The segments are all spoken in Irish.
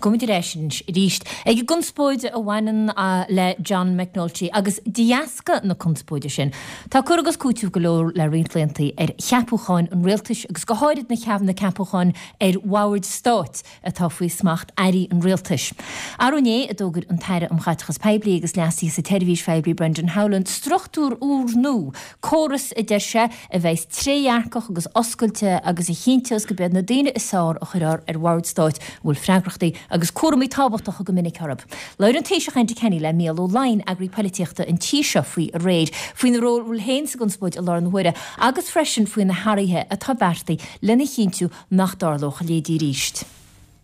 Gabhfaimid ar ais anois arís ag an gconspóid a bhaineann le John McNulty agus de dheasca na conspóide sin, tá cur agus cúiteamh go leor le roinnt laethanta ar cheapúcháin an rialtais agus go háirid na ceapúcháin ar bhoird stáit atá faoi smacht airí an rialtais. Arú inné a d'fhógair an tAire um Chaiteachas Poiblí agus Leasuithe sa tSeirbhís Phoiblí Brendan Howlin struchtúr úrnua, córas, a deir sé, a bheas trédhearcach agus oscailte agus a chinnteos gurb iad na daoine is fearr a chuirfear ar bhoird stáit a bhfuil freagrachtaí agus cúraimí tábhachtacha go minic orthu. Labhair an Taoiseach Enda Kenny le Mícheál Ó Laighin, eagraí poilitíochta an tí seo faoi aréir, faoina ról féin sa gconspóid i láthair na huaire agus freisin faoi na hathruithe atá beartaithe lena chinntiú nach dtarlódh a leithéidí arís.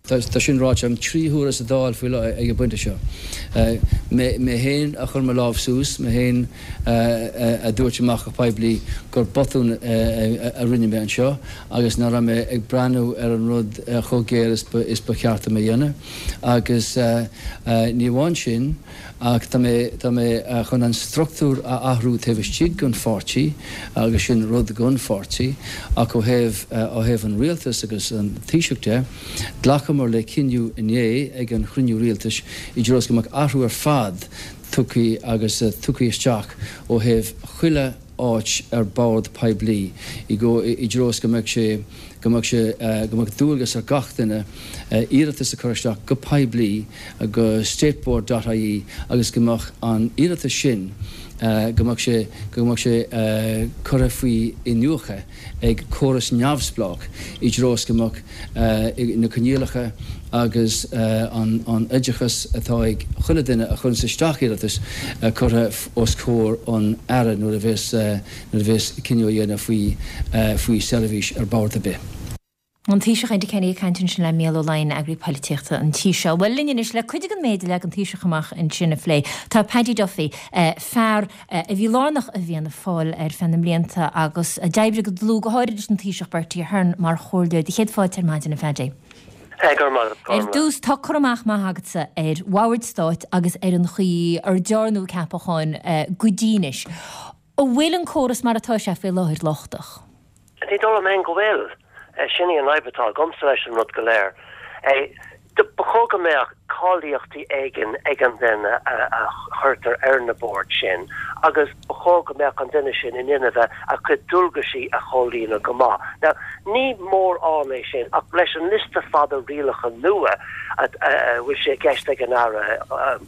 Tá sin ráite agam 3 huaire sa Dáil faoi ag an bpointe seo. Mé féin a chuir mo lámh suas, mé féin a dúirt amach go poiblí gur botún a rinne mé anseo agus nach raibh mé ag breathnú ar an rud chomh géar is ba cheart dom a dhéanamh. Agus ní amháin sin, Ach tá mé, tá mé chun an struchtúr a athrú taobh istigh den pháirtí agus sin rud don pháirtí. Ach ó thaobh, ó thaobh an rialtais agus an Taoiseach de, ghlacamar le cinneadh inné ag an chruinniú rialtais i dtreo is go mbeadh athrú ar fad tugtha agus tugtha isteach ó thaobh chuile áit ar bord poiblí i dtreo is go mbeadh sé, go mbeadh sé, go mbeadh dualgas ar gach duine iarratas a chur isteach go poiblí go stateboard dot ie agus go mbeadh an iarratas sin, go mbeadh sé, go mbeadh sé curtha faoi iniúchadh ag córas neamhspleách i dtreo is go mbeadh na coinníollacha agus an oideachas atá ag chuile duine a chuireanns isteach iarratas curtha os comhair an Aire nuair a bheas nuair a bheas cinneadh á dhéanamh faoi faoi seirbhís ar bord ar bith. An Taoiseach Enda Kenny ag caint ansin le Mícheál Ó Laighin, eagraí poilitíochta an tí seo. Bhuel, linn anois le cuid den méid a leag an Taoiseach amach ansin a phlé, tá Paddy Duffy, fear a bhí lárnach i bhFianna Fáil ar feadh na mblianta agus a d'oibrigh go dlúth, go háirid leis an Taoiseach Bertie Ahern mar chomhairleoir. Do chéad fáilte ar maidin, a Phaddy. Ar dtús, tá cur amach maith agatsa ar bhoird stáit agus ar an chaoi ar dearnadh ceapacháin go dtí anois. An bhfuil an córas mar atá sé faoi láthair lochtach? Ní dóigh liom féin go bhfuil. Sin í an fhadhb atá agamsa leis an rud go léir. Ba chóir go mbeadh cáilíochtaí éigin ag an duine a chuirtear ar na boird sin agus ba chóir go mbeadh an duine sin in inmhe a chuid dualgaisí a chomhlíonadh go maith. Now, ní mórán é sin ach leis an liosta fada rialacha nua a bhfuil sé i gceist ag an Aire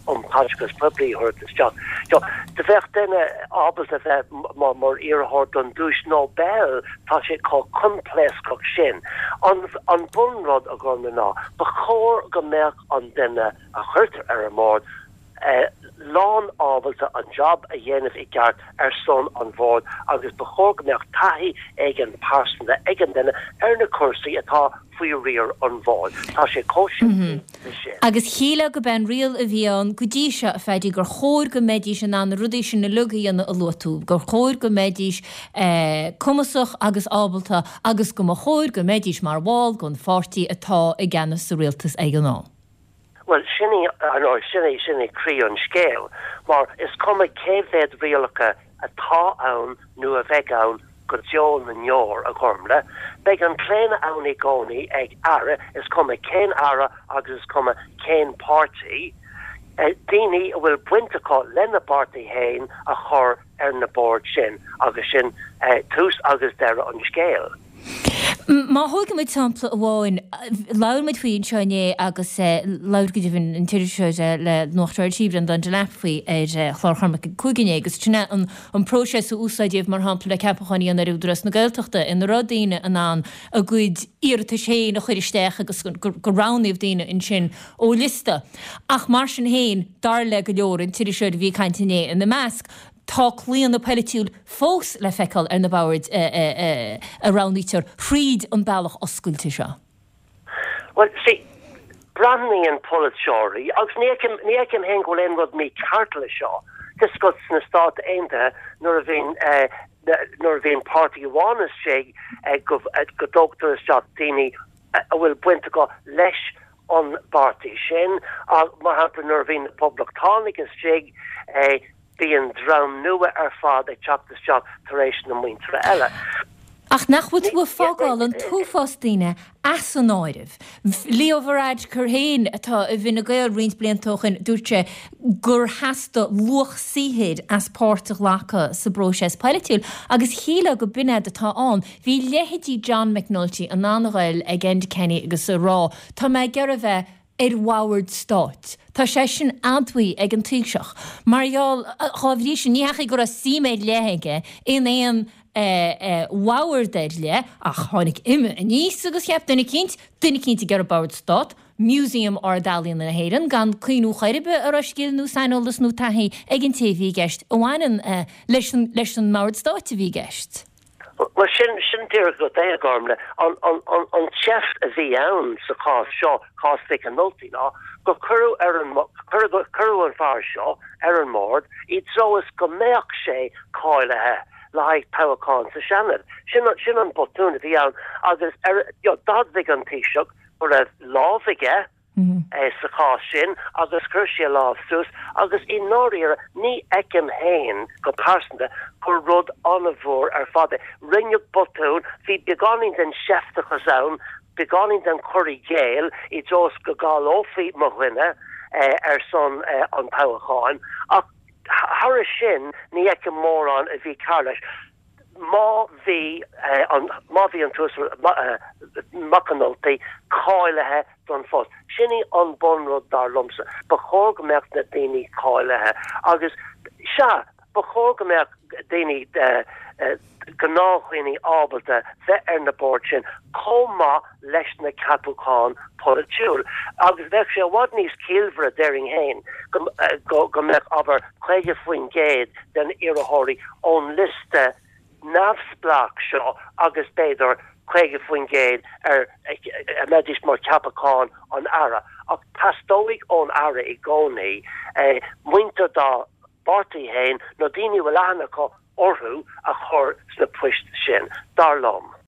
um Chaiteachas Poiblí a thabhairt isteach, do bheadh duine ábalta bheith mar iarrthóir don duais Nobel, tá sé chomh coimpléascach sin. An bunrud, a Ghormlaith, ná ba chóir go mbeadh an duine a chuirtear ar an mbord lán ábalta an job a dhéanamh i gceart ar son an bhoird agus ba chóir go mbeadh taithí éigin pearsanta ag an duine ar na cúrsaí atá faoi riar an bhoird. Tá sé chomh simplí le sin. Agus shílfeá gurb é an riail a bhí ann go dtí seo, a Phaddy, gur chóir go mbeidís in ann na rudaí sin uilig a dhéanamh a luaigh tú, gur chóir go mbeidís cumasach agus ábalta agus go mba chóir go mbeidís mar bhall den pháirtí atá i gceannas sa rialtas ag an am. Bhuel, sin í, ar ndóigh, sin í, sin í croí an scéil, mar is cuma cé mhéad rialacha atá ann nó a bheidh ann go deo na ndeor, a Ghormlaith, beidh an claonadh ann i gcónaí ag Aire, is cuma cén Aire agus is cuma cén páirtí, daoine a bhfuil baint acu lena bpáirtí féin a chur ar na boird sin agus sin tús agus deireadh an scéil. Má thógann muid sampla amháin, labhair muid faoi anseo inné agus labhair go deimhin an t-iriseoir le Nuacht RTÉ, Breandán Delap faoi ar chlár Chormaic ag 5 inné agus sin é an próiseas a úsáideadh mar shampla le ceapacháin a dhéanamh ar Údarás na Gaeltachta ina raibh daoine in ann a gcuid iarratais féin a chur isteach agus gur roghnaíodh daoine ansin ó liosta. Ach mar sin féin, dar le go leor, an t-iriseoir a bhí ag caint inné ina measc, tá claonadh polaitiúil fós le feiceáil ar na boird a roghnaítear thríd an bealach oscailte seo. Bhuel, see, breathnaíonn polaiteoirí, agus ní fheicim, ní fheicim féin go bhfuil aon rud mícheart le seo, tá a fhios agat sna Stáit Aontaithe nuair a bhíonn, nuair a bhíonn páirtí amháin istigh go, go dtógtar isteach daoine a bhfuil baint acu leis an bpáirtí sin. Mar shampla, nuair a bhíonn na Poblachtánaigh istigh, bíonn dream nua ar fad ag teacht isteach tar éis na muintire eile. Ach nach bhfuil tú ag fágáil an t-uafás daoine as an áireamh? Leo Varadkar féin, atá i bhFine Gael roinnt blianta ó shin, dúirt sé gur theastaigh luach saothair as páirt a ghlacadh sa bpróiseas polaitiúil agus shílfeá go b'in fhad atá ann. Bhí leithéidí John McNulty in ann a ghoil ag Enda Kenny agus a rá tá mé ag iarraidh a bheith ar bhord stáit. Tá sé sin admhaithe ag an Taoiseach. Mar gheall, dhá bhrí sin, ní hea go raibh suim ar leith aige in aon bhord ar leith, ach tháinig uime aníos agus cheap duine eicínt, duine eicínt ag iarraidh bord stát, Músaem Ard-Ealaíona na hÉireann, gan cuimhniú chor ar bith an raibh scil nó saineolas nó taithí ag an té a bhí i gceist a bhaineann leis an mbord stáit a bhí i gceist. Bhuel, sin, sin díreach rud é, a Ghormfhlaith. An, an, an, an tseift a bhí ann sa chás seo, cás Mhic an Nulty, ná gur cuireadh ar an, cuireadh, cuireadh an fear seo ar an mbord i dtreo is go mbeadh sé cáilithe le haghaidh toghachán sa Seanad. Sin, sin an botún a bhí ann agus ar, you know, d'admhaigh an Taoiseach go raibh lámh aige, sa chás sin agus chuir sé a lámh suas agus i ndáiríre ní fheicim féin go pearsanta gur rud an-mhór ar fad é. Rinneadh botún, bhí beagáinín den seifteachas ann, beagáinín den chur i gcéill i dtreo is go gcáileofaí mo dhuine ar son an toghacháin ach thairis sin ní fheicim mórán a bhí cearr leis. Má bhí an, má bhí an tUasal Mac an Nulty cáilithe don phost. Sin í an bunrud dar liomsa. Ba chóir go mbeadh na daoine cáilithe agus, sea, ba chóir go mbeadh daoine, gnáthdhaoine ábalta bheith ar na boird sin chomh maith leis na ceapacháin polaitiúil. Agus bheadh sé i bhfad níos ciallmhaire, déarfainn féin, go go mbeadh, abair, 50% den iarrthóirí ón liosta neamhspleách seo agus b'fhéidir 50% ar a mbeidís mar cheapacháin an Aire. Ach teastóidh ón Aire i gcónaí muintir dá bpáirtí féin nó daoine a bhfuil aithne acu orthu a chur sna poist sin, dar liom.